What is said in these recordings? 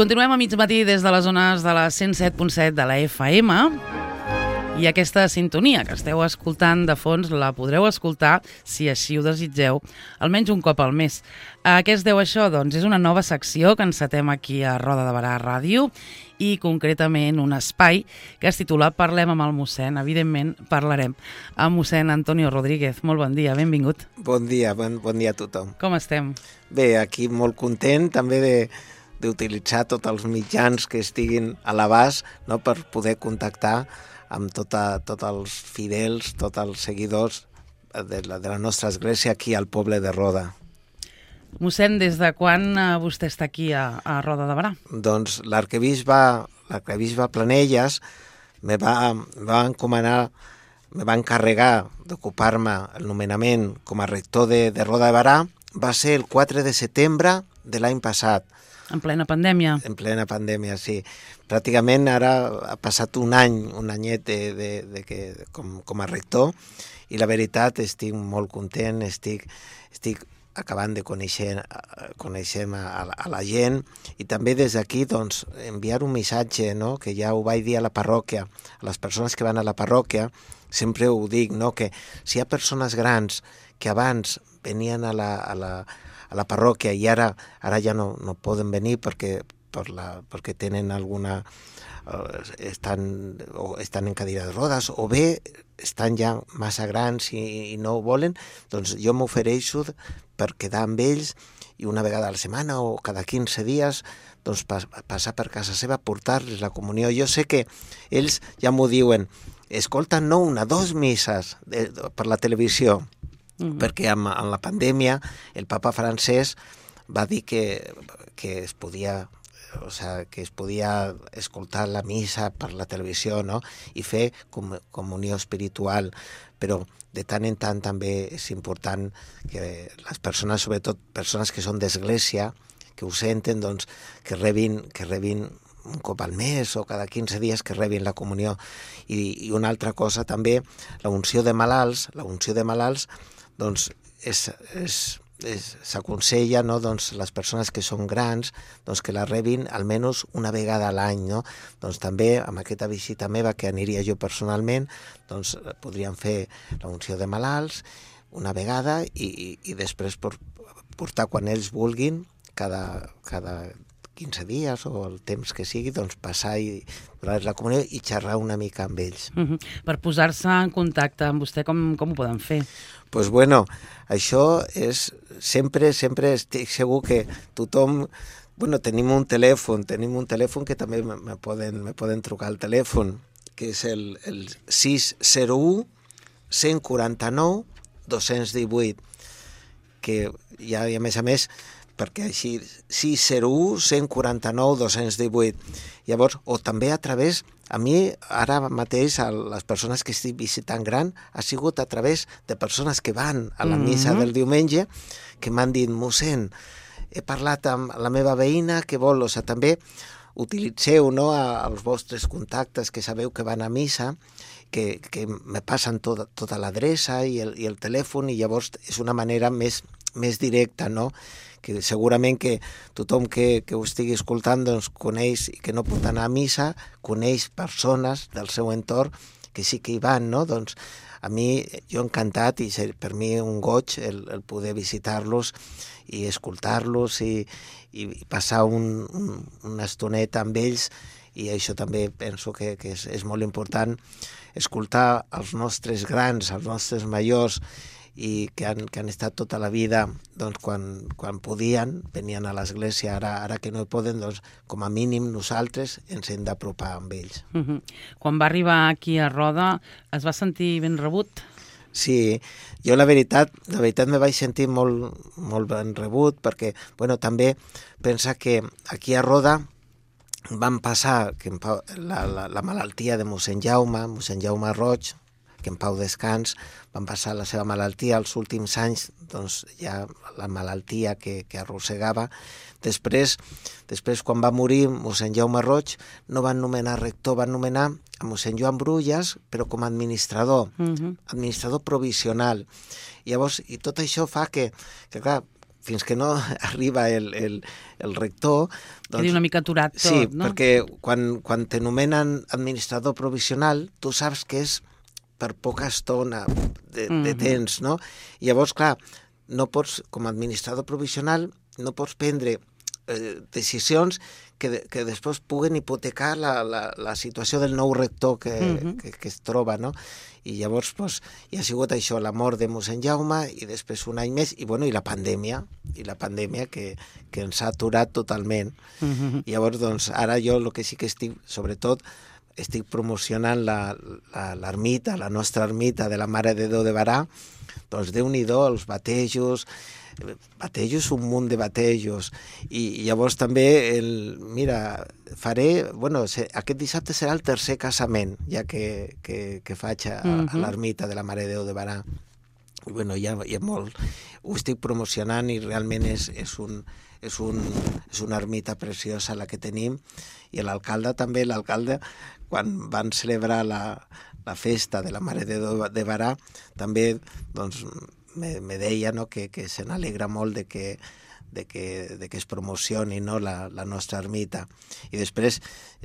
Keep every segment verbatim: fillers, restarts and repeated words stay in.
Continuem a mig matí des de les zones de la cent set punt set de la F M i aquesta sintonia que esteu escoltant de fons la podreu escoltar, si així ho desitgeu, almenys un cop al mes. A què es deu això? Doncs és una nova secció que encetem aquí a Roda de Berà Ràdio i concretament un espai que es titula Parlem amb el mossèn. Evidentment parlarem amb mossèn Antonio Rodríguez. Molt bon dia, benvingut. Bon dia, bon, bon dia a tothom. Com estem? Bé, aquí molt content també de d'utilitzar tots els mitjans que estiguin a l'abast, no, per poder contactar amb tota, tots els fidels, tots els seguidors de la, de la nostra església aquí al poble de Roda. Mossèn, des de quan eh, vostè està aquí a, a Roda de Berà? Doncs l'arquebisbe l'arquebisbe Planelles me va, me va encomanar, me va encarregar d'ocupar-me el nomenament com a rector de, de Roda de Berà. Va ser el quatre de setembre de l'any passat. En plena pandèmia? En plena pandèmia, sí. Pràcticament ara ha passat un any, un anyet de, de, de que, com, com a rector, i la veritat estic molt content, estic, estic acabant de conèixer, conèixer a, a la gent, i també des d'aquí doncs, enviar un missatge, no? Que ja ho vaig dir a la parròquia, a les persones que van a la parròquia, sempre ho dic, no? Que si hi ha persones grans que abans venien a la, a la, a la parròquia i ara ara ja no, no poden venir perquè, per la, perquè tenen alguna... Eh, estan, o estan en cadira de rodes, o bé estan ja massa grans i, i no ho volen, doncs jo m'ofereixo per quedar amb ells i una vegada a la setmana o cada quinze dies doncs, pas, passar per casa seva, portar-los la comunió. Jo sé que ells ja m'ho diuen, escolten no una, dos misses de, de, per la televisió, uh-huh. perquè amb, amb la pandèmia el papa francès va dir que, que es podia... o sea, que es podia escoltar la missa per la televisió, no? I fer com, comunió espiritual, però de tant en tant també és important que les persones, sobretot persones que són d'església, que ho senten, doncs, que rebin, que rebin un cop al mes o cada quinze dies que rebin la comunió. I, i una altra cosa també, la unció de malalts, la unció de malalts, doncs, és... és s'aconsella, no, doncs, les persones que són grans doncs, que la rebin almenys una vegada a l'any, no? Doncs també amb aquesta visita meva que aniria jo personalment doncs podríem fer la unció de malalts una vegada i, i, i després por, portar quan ells vulguin cada, cada quinze dies o el temps que sigui, doncs passar i donar la comunió i xerrar una mica amb ells. Uh-huh. Per posar-se en contacte amb vostè, com, com ho poden fer? Pues bueno, això és sempre, sempre estic segur que tothom, bueno, tenim un telèfon, tenim un telèfon que també me, me, poden, me poden trucar al telèfon, que és el, el sis zero u, cent quaranta-nou, dos-cents divuit, que ja, i a més a més, perquè així, sis zero u, cent quaranta-nou, dos-cents divuit. Llavors, o també a través, a mi ara mateix, a les persones que estic visitant gran, ha sigut a través de persones que van a la missa del diumenge, que m'han dit, mossèn, he parlat amb la meva veïna que vol, o sigui, també utilitzeu, no, els vostres contactes que sabeu que van a missa, que, que me passen tota, tota l'adreça i el, i el telèfon, i llavors és una manera més, més directa, no?, que segurament que tothom que, que ho estigui escoltant doncs, coneix i que no pot anar a missa, coneix persones del seu entorn que sí que hi van, no? Doncs a mi, jo encantat, i per mi un goig el, el poder visitar-los i escoltar-los i, i passar un, un, una estoneta amb ells, i això també penso que, que és, és molt important, escoltar els nostres grans, els nostres majors, i que han, que han estat tota la vida, doncs, quan, quan podien, venien a l'església, ara, ara que no hi poden, doncs, com a mínim nosaltres ens hem d'apropar amb ells. Uh-huh. Quan va arribar aquí a Roda, es va sentir ben rebut? Sí, jo la veritat, la veritat me vaig sentir molt, molt ben rebut, perquè, bueno, també pensa que aquí a Roda van passar que en Pau, la, la, la malaltia de mossèn Jaume, mossèn Jaume Roig, que en pau descans, van passar la seva malaltia els últims anys, doncs ja la malaltia que, que arrossegava. Després, després, quan va morir mossèn Jaume Roig, no van nomenar rector, van nomenar a mossèn Joan Brulles, però com a administrador, uh-huh. administrador provisional. I llavors, i tot això fa que, que clar, fins que no arriba el, el, el rector... Doncs, quedi una mica aturat tot, sí, no? Sí, perquè quan, quan t'anomenen administrador provisional, tu saps que és per poca estona de, mm-hmm. de temps, no? I llavors, clar, no pots, com a administrador provisional, no pots prendre eh, decisions que, que després puguen hipotecar la, la, la situació del nou rector que, mm-hmm. que, que es troba, no? I llavors pues, hi ha sigut això, la mort de mossèn Jaume i després un any més, i, bueno, i la pandèmia, i la pandèmia que, que ens ha aturat totalment. Mm-hmm. I llavors, doncs, ara jo el que sí que estic, sobretot, estic promocionant l'ermita, la, la, la nostra ermita de la Mare de Déu de Berà, doncs Déu-n'hi-do, els batejos, batejos, un munt de batejos, i, i llavors també, el, mira, faré, bueno, se, aquest dissabte serà el tercer casament, ja que, que, que faig a, mm-hmm. a l'ermita de la Mare de Déu de Berà. I, bueno, hi ha, hi ha molt, ho estic promocionant i realment és, és, un, és, un, és una ermita preciosa la que tenim, i l'alcalde també, l'alcalde, quan van celebrar la, la festa de la Mare de Déu de Berà, també, doncs, me, me deia, no?, que, que se n'alegra molt de que, de que, de que es promocioni, no?, la, la nostra ermita. I després,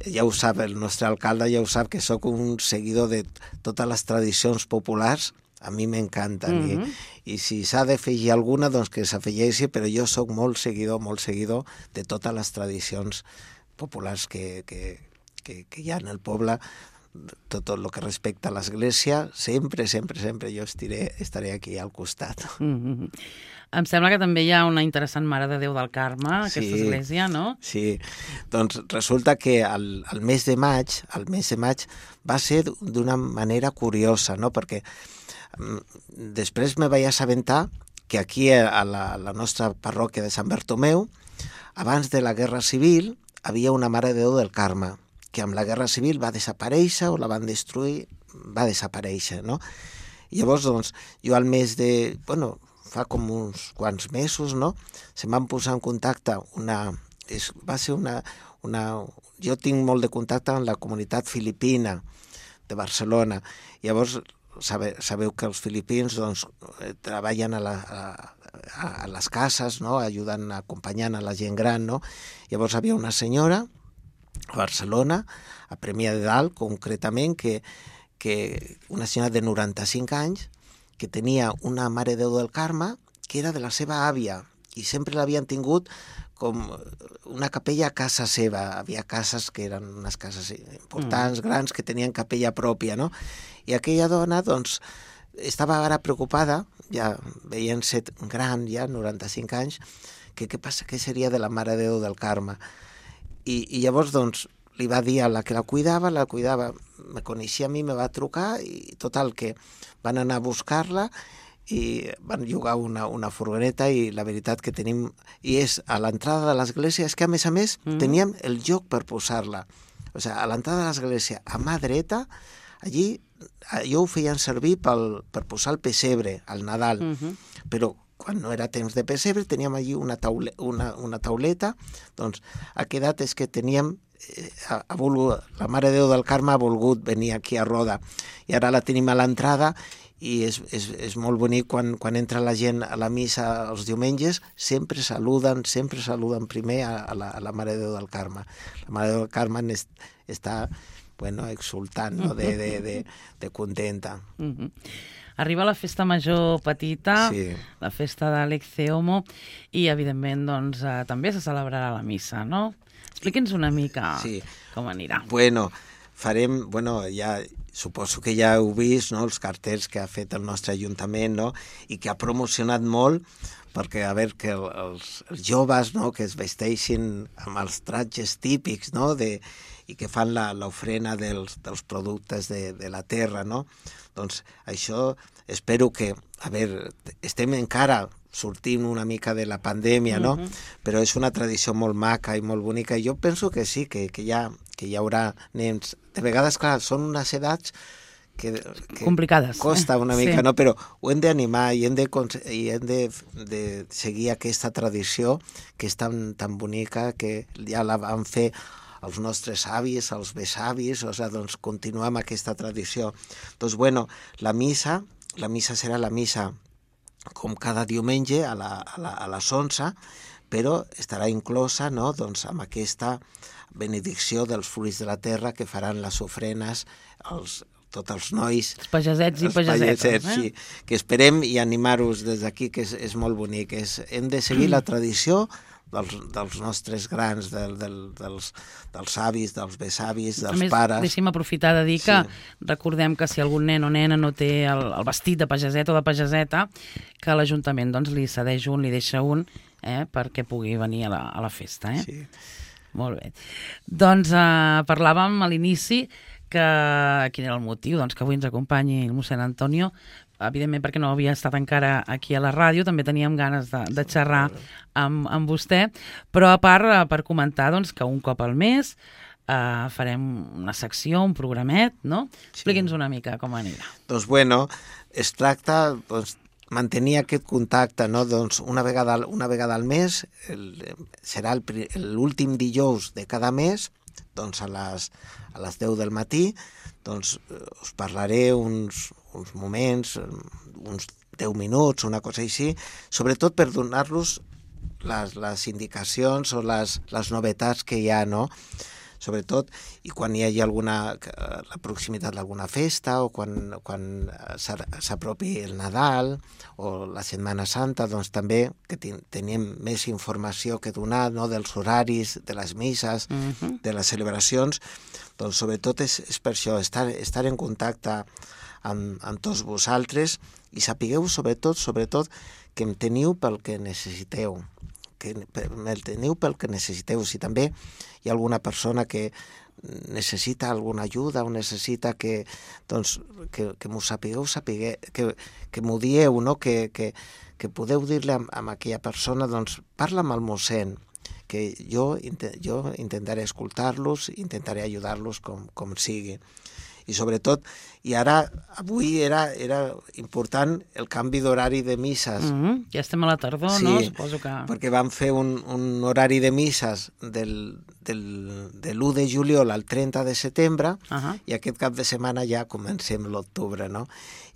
ja ho sap, el nostre alcalde ja ho sap, que sóc un seguidor de totes les tradicions populars, a mi m'encanten. Mm-hmm. I, I si s'ha d'afegir alguna, doncs que s'afegeixi, però jo sóc molt seguidor, molt seguidor de totes les tradicions populars que, que, que, que hi ha en el poble, tot el que respecta a l'Església, sempre, sempre, sempre jo estiré, estaré aquí al costat. Mm-hmm. Em sembla que també hi ha una interessant Mare de Déu del Carme, aquesta sí, església, no? Sí, doncs resulta que el, el mes de maig, el mes de maig va ser d'una manera curiosa, no? Perquè um, després me vaig assabentar que aquí a la, a la nostra parròquia de Sant Bartomeu, abans de la Guerra Civil, havia una Mare de Déu del Carme, que amb la Guerra Civil va desaparèixer o la van destruir, va desaparèixer, no? I llavors, doncs, jo al mes de... Bueno, fa com uns quants mesos, no?, se'm van posar en contacte una... És, va ser una, una... Jo tinc molt de contacte amb la comunitat filipina de Barcelona. Llavors, sabe, sabeu que els filipins, doncs, treballen a, la, a, a les cases, no?, ajudant, acompanyant a la gent gran, no? Llavors, hi havia una senyora a Barcelona, a Premià de Dalt, concretament, que, que una senyora de noranta-cinc anys, que tenia una Mare de Déu del Carme, que era de la seva àvia, i sempre l'havien tingut com una capella a casa seva. Havia cases que eren unes cases importants, mm. grans, que tenien capella pròpia, no? I aquella dona, doncs, estava ara preocupada, ja veient-se gran, ja, noranta-cinc anys, que què passa, què seria de la Mare de Déu del Carme? I, i llavors, doncs, li va dir a la que la cuidava, la cuidava, me coneixia a mi, me va trucar, i total, que van anar a buscar-la i van llogar una, una furgoneta, i la veritat que tenim... I és a l'entrada de l'església, és que a més a més mm. teníem el lloc per posar-la. O sigui, a l'entrada de l'església, a mà dreta, allí, allò ho feien servir pel, per posar el pessebre al Nadal, mm-hmm. però quan no era temps de pessebre, teníem allí una, taule, una, una tauleta, doncs ha quedat és que teníem, eh, ha, ha volgut, la Mare de Déu del Carme ha volgut venir aquí a Roda, i ara la tenim a l'entrada, i és, és, és molt bonic quan, quan entra la gent a la missa els diumenges, sempre saluden, sempre saluden primer a, a, la, a la Mare de Déu del Carme. La Mare de Déu del Carme est, està, bueno, exultant, no?, de, de, de, de contenta. Mm-hmm. Arriba la festa major petita, sí. La festa d'Alexeomo, i, evidentment, doncs, eh, també se celebrarà la missa, no? Expliqui'ns una mica sí. com anirà. Bueno, farem, bueno, ja suposo que ja heu vist, no?, els cartells que ha fet el nostre Ajuntament, no?, i que ha promocionat molt, perquè, a veure, que els, els joves, no?, que es vesteixin amb els tratges típics, no?, de, i que fan l'ofrena dels, dels productes de, de la terra, no? Doncs això espero que, a veure, estem encara sortint una mica de la pandèmia, no? Uh-huh. Però és una tradició molt maca i molt bonica, i jo penso que sí, que, que, hi, ha, que hi haurà nens. De vegades, clar, són unes edats que, que complicades. Costa una mica, sí. no? Però ho hem d'animar i hem, de, i hem de, de seguir aquesta tradició que és tan, tan bonica, que ja la van fer els nostres avis, els besavis, o sigui, doncs continuem aquesta tradició. Doncs, bueno, la missa, la missa serà la missa com cada diumenge a, la, a, la, a les onze, però estarà inclosa, no?, doncs, amb aquesta benedicció dels fruits de la terra que faran les ofrenes, els, tots els nois... Els pagesets i pagesetes. Pagesets, eh? Sí, que esperem i animar-vos des d'aquí, que és, és molt bonic. És, hem de seguir la tradició dels, dels nostres grans, del, del, dels, dels avis, dels besavis, dels a més, pares. Deixi'm aprofitar de dir que Sí. recordem que si algun nen o nena no té el, el vestit de pageset o de pageseta, que l'Ajuntament doncs, li cedeix un, li deixa un, eh, perquè pugui venir a la, a la festa. Eh? Sí. Molt bé. Doncs eh, parlàvem a l'inici que quin era el motiu, doncs que avui ens acompanyi el mossèn Antonio, evidentment perquè no havia estat encara aquí a la ràdio, també teníem ganes de, de xerrar amb, amb vostè, però a part eh, per comentar doncs, que un cop al mes eh, farem una secció, un programet, no? Sí. Expliqui'ns una mica com anirà. Doncs bueno, es tracta doncs, mantenir aquest contacte, no? Doncs una vegada, una vegada al mes, el, serà el pri- l'últim dijous de cada mes, doncs a les, a les deu del matí, doncs eh, us parlaré uns, uns moments, uns deu minuts, una cosa així, sobretot per donar-los les, les indicacions o les, les novetats que hi ha, no? Sobretot, i quan hi hagi alguna, la proximitat d'alguna festa o quan, quan s'apropi el Nadal o la Setmana Santa, doncs també que ten, tenim més informació que donar, no?, dels horaris, de les misses, Uh-huh. de les celebracions, doncs sobretot és, és per això, estar, estar en contacte amb, amb tots vosaltres i sapigueu sobretot, sobretot, que em teniu pel que necessiteu, que me'l teniu pel que necessiteu. Si també hi ha alguna persona que necessita alguna ajuda o necessita que, doncs, que, que m'ho sapigueu, sapigueu que, que m'ho dieu, no? que, que, que podeu dir-li a, a aquella persona, doncs parla amb el mossèn, que jo, jo intentaré escoltar-los, intentaré ajudar-los com, com sigui. I sobretot, i ara, avui era, era important el canvi d'horari de misses. Uh-huh. Ja estem a la tardor, Sí, no? Suposo que... perquè vam fer un, un horari de misses del, del, de l'u de juliol al trenta de setembre, Uh-huh. i aquest cap de setmana ja comencem l'octubre, no?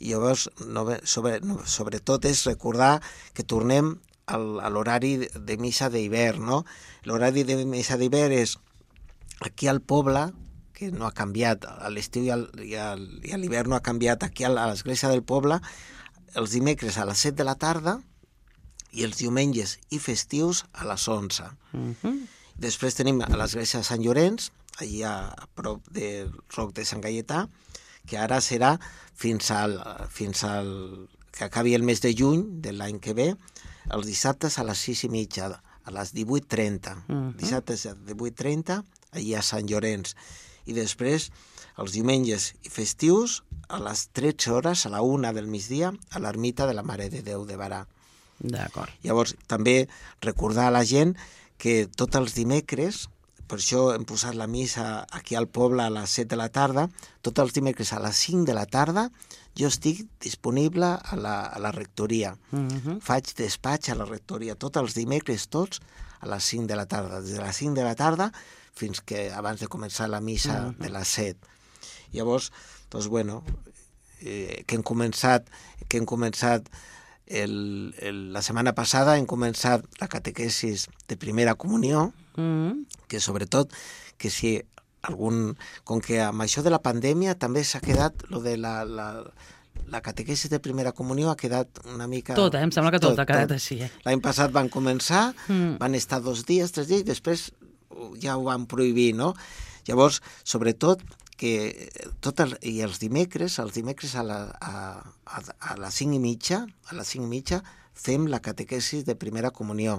I llavors, no, sobre, no, sobretot és recordar que tornem al, a l'horari de missa d'hivern, no? L'horari de missa d'hivern és aquí al poble, que no ha canviat, a l'estiu i, al, i, al, i a l'hivern no ha canviat, aquí a l'església del poble, els dimecres a les set de la tarda i els diumenges i festius a les onze. Uh-huh. Després tenim a l'església de Sant Llorenç, allà a prop del Roc de Sant Gaietà, que ara serà fins al, fins al que acabi el mes de juny de l'any que ve, els dissabtes a les sis i mitja, a les divuit trenta. Uh-huh. Dissabtes a divuit trenta, allà a Sant Llorenç. I després, els diumenges i festius, a les tretze hores, a la una del migdia, a l'ermita de la Mare de Déu de Barà. D'acord. Llavors, també recordar a la gent que tots els dimecres, per això hem posat la missa aquí al poble a les set de la tarda, tots els dimecres a les cinc de la tarda jo estic disponible a la, a la rectoria. Uh-huh. Faig despatx a la rectoria tots els dimecres, tots, a les cinc de la tarda. Des de les cinc de la tarda fins que abans de començar la missa uh-huh. de les set. Llavors, doncs, bueno, eh, que hem començat, que hem començat el, el, la setmana passada hem començat la catequesis de primera comunió, Uh-huh. que sobretot, que si algun... Com que amb això de la pandèmia també s'ha quedat lo de la... la la catequesis de primera comunió ha quedat una mica... Tot, eh? Em sembla que tot, tot ha quedat tot. Així. Eh? L'any passat van començar, Mm. van estar dos dies, tres dies, i després ja ho van prohibir, no? Llavors, sobretot, que tot el, i els dimecres, els dimecres a, la, a, a, a les cinc i mitja, a les cinc i mitja, fem la catequesis de primera comunió.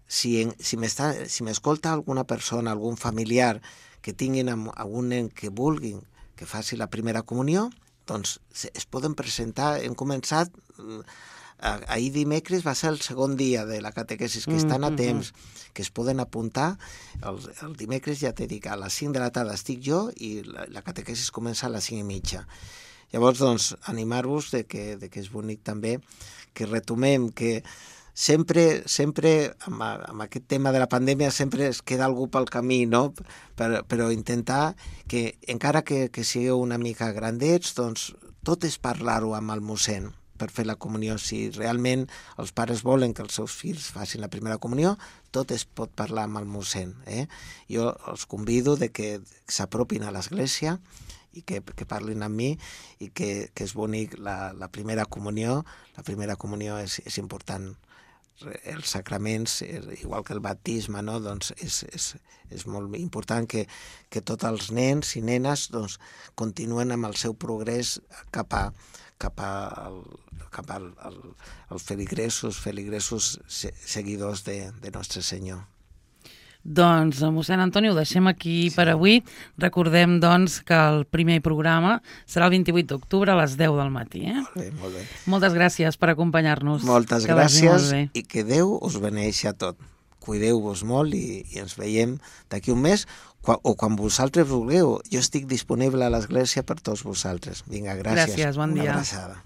Si, en, si m'està, si m'escolta alguna persona, algun familiar que tinguin algun nen que vulguin que faci la primera comunió, doncs es poden presentar. Hem començat, ahir dimecres va ser el segon dia de la catequesis, que estan a temps, que es poden apuntar. El, el dimecres, ja t'he dit, a les cinc de la tarda estic jo i la, la catequesis comença a les cinc i mitja. Llavors, doncs, animar-vos de que, de que és bonic també que retomem, que sempre, sempre amb, amb aquest tema de la pandèmia sempre es queda algú pel camí, no? Per, però intentar que, encara que, que sigueu una mica grandets, doncs tot és parlar-ho amb el mossèn, per fer la comunió. Si realment els pares volen que els seus fills facin la primera comunió, tot es pot parlar amb el mossèn. Eh? Jo els convido de que s'apropin a l'església i que, que parlin amb mi i que, que és bonic la, la primera comunió. La primera comunió és, és important. Els sacraments, igual que el baptisme, no? Doncs és, és, és molt important que, que tots els nens i nenes doncs, continuen amb el seu progrés cap a cap, a, cap al, al, als feligresos, feligresos seguidors de, de Nostre Senyor. Doncs, mossèn Antoni, ho deixem aquí sí. per avui. Recordem, doncs, que el primer programa serà el vint-i-vuit d'octubre a les deu del matí. Eh? Molt bé, molt bé. Moltes gràcies per acompanyar-nos. Moltes que gràcies i que Déu us beneixi a tot. Cuideu-vos molt i, i ens veiem d'aquí un mes o quan vosaltres vulgueu. Jo estic disponible a l'església per tots vosaltres. Vinga, gràcies. Gràcies, bon dia. Una abraçada.